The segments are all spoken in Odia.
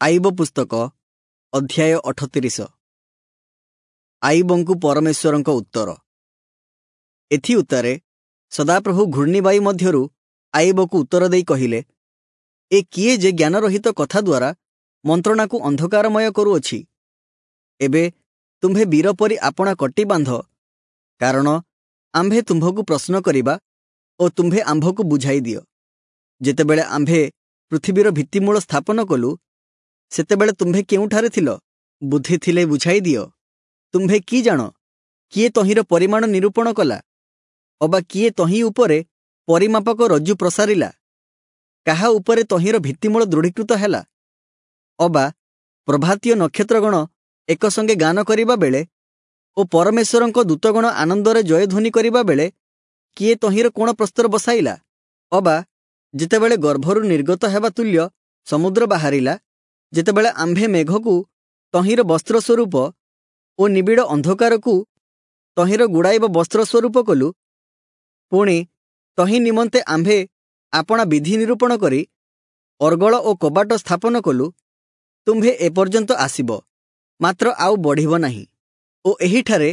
ଆଇବ ପୁସ୍ତକ ଅଧ୍ୟାୟ 38। ଆଇବଙ୍କୁ ପରମେଶ୍ୱରଙ୍କ ଉତ୍ତର। ଏଥି ଉତ୍ତାରେ ସଦାପ୍ରଭୁ ଘୂର୍ଣ୍ଣିବାୟୁ ମଧ୍ୟରୁ ଆଇବକୁ ଉତ୍ତର ଦେଇ କହିଲେ, ଏ କିଏ ଯେ ଜ୍ଞାନରହିତ କଥା ଦ୍ୱାରା ମନ୍ତ୍ରଣାକୁ ଅନ୍ଧକାରମୟ କରୁଅଛି? ଏବେ ତୁମ୍ଭେ ବୀର ପରି ଆପଣା କଟି ବାନ୍ଧ, କାରଣ ଆମ୍ଭେ ତୁମ୍ଭକୁ ପ୍ରଶ୍ନ କରିବା ଓ ତୁମ୍ଭେ ଆମ୍ଭକୁ ବୁଝାଇ ଦିଅ। ଯେତେବେଳେ ଆମ୍ଭେ ପୃଥିବୀର ଭିତ୍ତିମୂଳ ସ୍ଥାପନ କଲୁ, ସେତେବେଳେ ତୁମ୍ଭେ କେଉଁଠାରେ ଥିଲ? ବୁଦ୍ଧି ଥିଲେ ବୁଝାଇ ଦିଅ। ତୁମ୍ଭେ କି ଜାଣ? କିଏ ତହିଁର ପରିମାଣ ନିରୂପଣ କଲା? ଅବା କିଏ ତହିଁ ଉପରେ ପରିମାପକ ରଜ୍ଜୁ ପ୍ରସାରିଲା? କାହା ଉପରେ ତହିଁର ଭିତ୍ତିମୂଳ ଦୃଢ଼ୀକୃତ ହେଲା? ଅବା ପ୍ରଭାତୀୟ ନକ୍ଷତ୍ରଗଣ ଏକସଙ୍ଗେ ଗାନ କରିବା ବେଳେ ଓ ପରମେଶ୍ୱରଙ୍କ ଦୂତଗଣ ଆନନ୍ଦରେ ଜୟଧ୍ୱନି କରିବା ବେଳେ କିଏ ତହିଁର କୋଣ ପ୍ରସ୍ତର ବସାଇଲା? ଅବା ଯେତେବେଳେ ଗର୍ଭରୁ ନିର୍ଗତ ହେବା ତୁଲ୍ୟ ସମୁଦ୍ର ବାହାରିଲା, ଯେତେବେଳେ ଆମ୍ଭେ ମେଘକୁ ତହିଁର ବସ୍ତ୍ର ସ୍ୱରୂପ ଓ ନିବିଡ଼ ଅନ୍ଧକାରକୁ ତହିଁର ଗୁଡ଼ାଇବ ବସ୍ତ୍ର ସ୍ୱରୂପ କଲୁ, ପୁଣି ତହିଁ ନିମନ୍ତେ ଆମ୍ଭେ ଆପଣା ବିଧି ନିରୂପଣ କରି ଅର୍ଗଳ ଓ କବାଟ ସ୍ଥାପନ କଲୁ, ତୁମ୍ଭେ ଏପର୍ଯ୍ୟନ୍ତ ଆସିବ, ମାତ୍ର ଆଉ ବଢ଼ିବ ନାହିଁ, ଓ ଏହିଠାରେ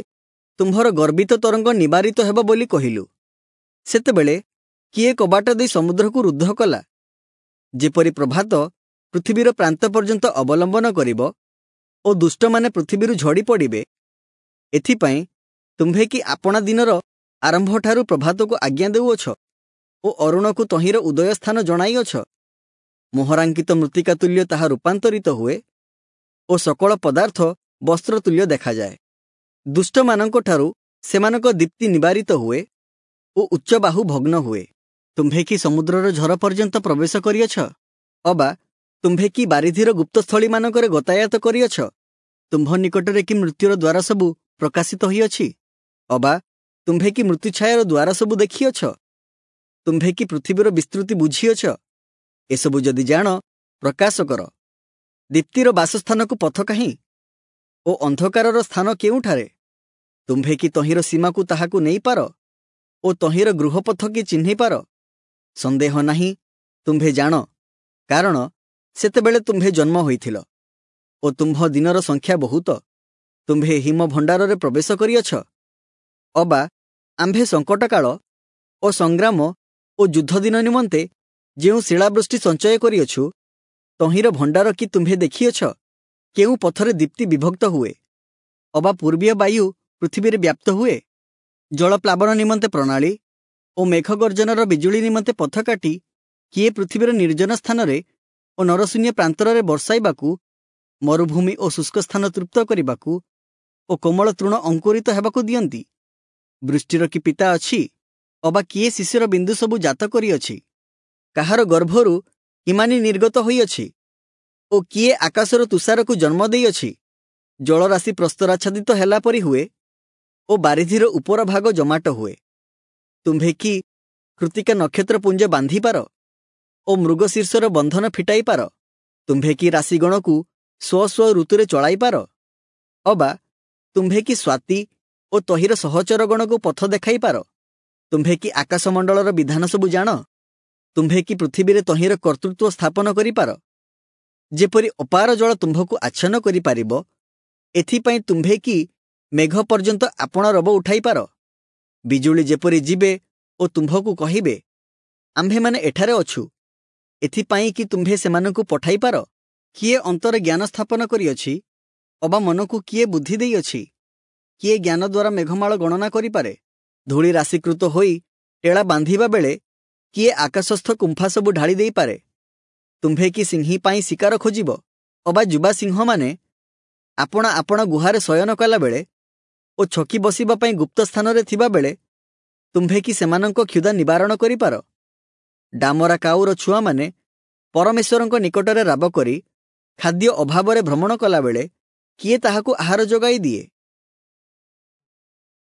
ତୁମ୍ଭର ଗର୍ବିତ ତରଙ୍ଗ ନିବାରିତ ହେବ ବୋଲି କହିଲୁ। ସେତେବେଳେ କିଏ କବାଟ ଦେଇ ସମୁଦ୍ରକୁ ରୁଦ୍ଧ କଲା? ଯେପରି ପ୍ରଭାତ ପୃଥିବୀର ପ୍ରାନ୍ତ ପର୍ଯ୍ୟନ୍ତ ଅବଲମ୍ବନ କରିବ ଓ ଦୁଷ୍ଟମାନେ ପୃଥିବୀରୁ ଝଡ଼ି ପଡ଼ିବେ, ଏଥିପାଇଁ ତୁମ୍ଭେ କି ଆପଣା ଦିନର ଆରମ୍ଭଠାରୁ ପ୍ରଭାତକୁ ଆଜ୍ଞା ଦେଉଅଛ ଓ ଅରୁଣକୁ ତହିଁର ଉଦୟ ସ୍ଥାନ ଜଣାଇଅଛ? ମୋହରାଙ୍କିତ ମୃତ୍ତିକା ତୁଲ୍ୟ ତାହା ରୂପାନ୍ତରିତ ହୁଏ ଓ ସକଳ ପଦାର୍ଥ ବସ୍ତ୍ର ତୁଲ୍ୟ ଦେଖାଯାଏ। ଦୁଷ୍ଟମାନଙ୍କଠାରୁ ସେମାନଙ୍କ ଦୀପ୍ତି ନିବାରିତ ହୁଏ ଓ ଉଚ୍ଚ ବାହୁ ଭଗ୍ନ ହୁଏ। ତୁମ୍ଭେ କି ସମୁଦ୍ରର ଝର ପର୍ଯ୍ୟନ୍ତ ପ୍ରବେଶ କରିଅଛ? ଅବା ତୁମ୍ଭେ କି ବାରିଧିର ଗୁପ୍ତସ୍ଥଳୀମାନଙ୍କରେ ଗତାୟାତ କରିଅଛ? ତୁମ୍ଭ ନିକଟରେ କି ମୃତ୍ୟୁର ଦ୍ୱାର ସବୁ ପ୍ରକାଶିତ ହୋଇଅଛି? ଅବା ତୁମ୍ଭେ କି ମୃତ୍ୟୁଛାୟାର ଦ୍ୱାର ସବୁ ଦେଖିଅଛ? ତୁମ୍ଭେ କି ପୃଥିବୀର ବିସ୍ତୃତି ବୁଝିଅଛ? ଏସବୁ ଯଦି ଜାଣ, ପ୍ରକାଶ କର। ଦୀପ୍ତିର ବାସସ୍ଥାନକୁ ପଥ କାହିଁ ଓ ଅନ୍ଧକାରର ସ୍ଥାନ କେଉଁଠାରେ? ତୁମ୍ଭେ କି ତହିଁର ସୀମାକୁ ତାହାକୁ ନେଇପାର ଓ ତହିଁର ଗୃହପଥ କି ଚିହ୍ନିପାର? ସନ୍ଦେହ ନାହିଁ, ତୁମ୍ଭେ ଜାଣ, କାରଣ ସେତେବେଳେ ତୁମ୍ଭେ ଜନ୍ମ ହୋଇଥିଲ ଓ ତୁମ୍ଭ ଦିନର ସଂଖ୍ୟା ବହୁତ। ତୁମ୍ଭେ ହିମ ଭଣ୍ଡାରରେ ପ୍ରବେଶ କରିଅଛ? ଅବା ଆମ୍ଭେ ସଙ୍କଟକାଳ ଓ ସଂଗ୍ରାମ ଓ ଯୁଦ୍ଧ ଦିନ ନିମନ୍ତେ ଯେଉଁ ଶିଳାବୃଷ୍ଟି ସଞ୍ଚୟ କରିଅଛୁ, ତହିଁର ଭଣ୍ଡାର କି ତୁମ୍ଭେ ଦେଖିଅଛ? କେଉଁ ପଥରେ ଦୀପ୍ତି ବିଭକ୍ତ ହୁଏ? ଅବା ପୂର୍ବୀୟ ବାୟୁ ପୃଥିବୀରେ ବ୍ୟାପ୍ତ ହୁଏ? ଜଳପ୍ଲାବନ ନିମନ୍ତେ ପ୍ରଣାଳୀ ଓ ମେଘଗର୍ଜନର ବିଜୁଳି ନିମନ୍ତେ ପଥ କାଟି କିଏ ପୃଥିବୀର ନିର୍ଜନ ସ୍ଥାନରେ ଓ ନରଶୂନ୍ୟ ପ୍ରାନ୍ତରରେ ବର୍ଷାଇବାକୁ, ମରୁଭୂମି ଓ ଶୁଷ୍କ ସ୍ଥାନ ତୃପ୍ତ କରିବାକୁ ଓ କୋମଳ ତୃଣ ଅଙ୍କୁରିତ ହେବାକୁ ଦିଅନ୍ତି? ବୃଷ୍ଟିର କି ପିତା ଅଛି? ଅବା କିଏ ଶିଶିର ବିନ୍ଦୁ ସବୁ ଜାତ କରିଅଛି? କାହାର ଗର୍ଭରୁ ହିମାନୀ ନିର୍ଗତ ହୋଇଅଛି? ଓ କିଏ ଆକାଶର ତୁଷାରକୁ ଜନ୍ମ ଦେଇଅଛି? ଜଳରାଶି ପ୍ରସ୍ତରାଚ୍ଛାଦିତ ହେଲା ପରି ହୁଏ ଓ ବାରିଧିର ଉପର ଭାଗ ଜମାଟ ହୁଏ। ତୁମ୍ଭେ କି କୃତିକା ନକ୍ଷତ୍ର ପୁଞ୍ଜ ବାନ୍ଧିପାର ଓ ମୃଗଶୀର୍ଷର ବନ୍ଧନ ଫିଟାଇପାର? ତୁମ୍ଭେ କି ରାଶିଗଣକୁ ସ୍ୱ ସ୍ୱ ଋତୁରେ ଚଳାଇପାର? ଅବା ତୁମ୍ଭେ କି ସ୍ୱାତି ଓ ତହିଁର ସହଚରଗଣକୁ ପଥ ଦେଖାଇପାର? ତୁମ୍ଭେ କି ଆକାଶମଣ୍ଡଳର ବିଧାନ ସବୁ ଜାଣ? ତୁମ୍ଭେ କି ପୃଥିବୀରେ ତହିଁର କର୍ତ୍ତୃତ୍ୱ ସ୍ଥାପନ କରିପାର? ଯେପରି ଅପାର ଜଳ ତୁମ୍ଭକୁ ଆଚ୍ଛନ୍ନ କରିପାରିବ, ଏଥିପାଇଁ ତୁମ୍ଭେ କି ମେଘ ପର୍ଯ୍ୟନ୍ତ ଆପଣା ରବ ଉଠାଇପାର? ବିଜୁଳି ଯେପରି ଯିବେ ଓ ତୁମ୍ଭକୁ କହିବେ, ଆମ୍ଭେମାନେ ଏଠାରେ ଅଛୁ, ଏଥିପାଇଁ କି ତୁମ୍ଭେ ସେମାନଙ୍କୁ ପଠାଇପାର? କିଏ ଅନ୍ତରେ ଜ୍ଞାନ ସ୍ଥାପନ କରିଅଛି? ଅବା ମନକୁ କିଏ ବୁଦ୍ଧି ଦେଇଅଛି? କିଏ ଜ୍ଞାନ ଦ୍ୱାରା ମେଘମାଳ ଗଣନା କରିପାରେ? ଧୂଳି ରାଶିକୃତ ହୋଇ ଟେଳା ବାନ୍ଧିବା ବେଳେ କିଏ ଆକାଶସ୍ଥ କୁମ୍ଫା ସବୁ ଢାଳି ଦେଇପାରେ? ତୁମ୍ଭେ କି ସିଂହୀ ପାଇଁ ଶିକାର ଖୋଜିବ? ଅବା ଯୁବା ସିଂହମାନେ ଆପଣା ଆପଣା ଗୁହାରେ ଶୟନ କଲାବେଳେ ଓ ଛକି ବସିବା ପାଇଁ ଗୁପ୍ତ ସ୍ଥାନରେ ଥିବାବେଳେ ତୁମ୍ଭେ କି ସେମାନଙ୍କ କ୍ଷୁଧା ନିବାରଣ କରିପାର? ଡାମରା କାଉର ଛୁଆମାନେ ପରମେଶ୍ୱରଙ୍କ ନିକଟରେ ରାବ କରି ଖାଦ୍ୟ ଅଭାବରେ ଭ୍ରମଣ କଲାବେଳେ କିଏ ତାହାକୁ ଆହାର ଯୋଗାଇ ଦିଏ?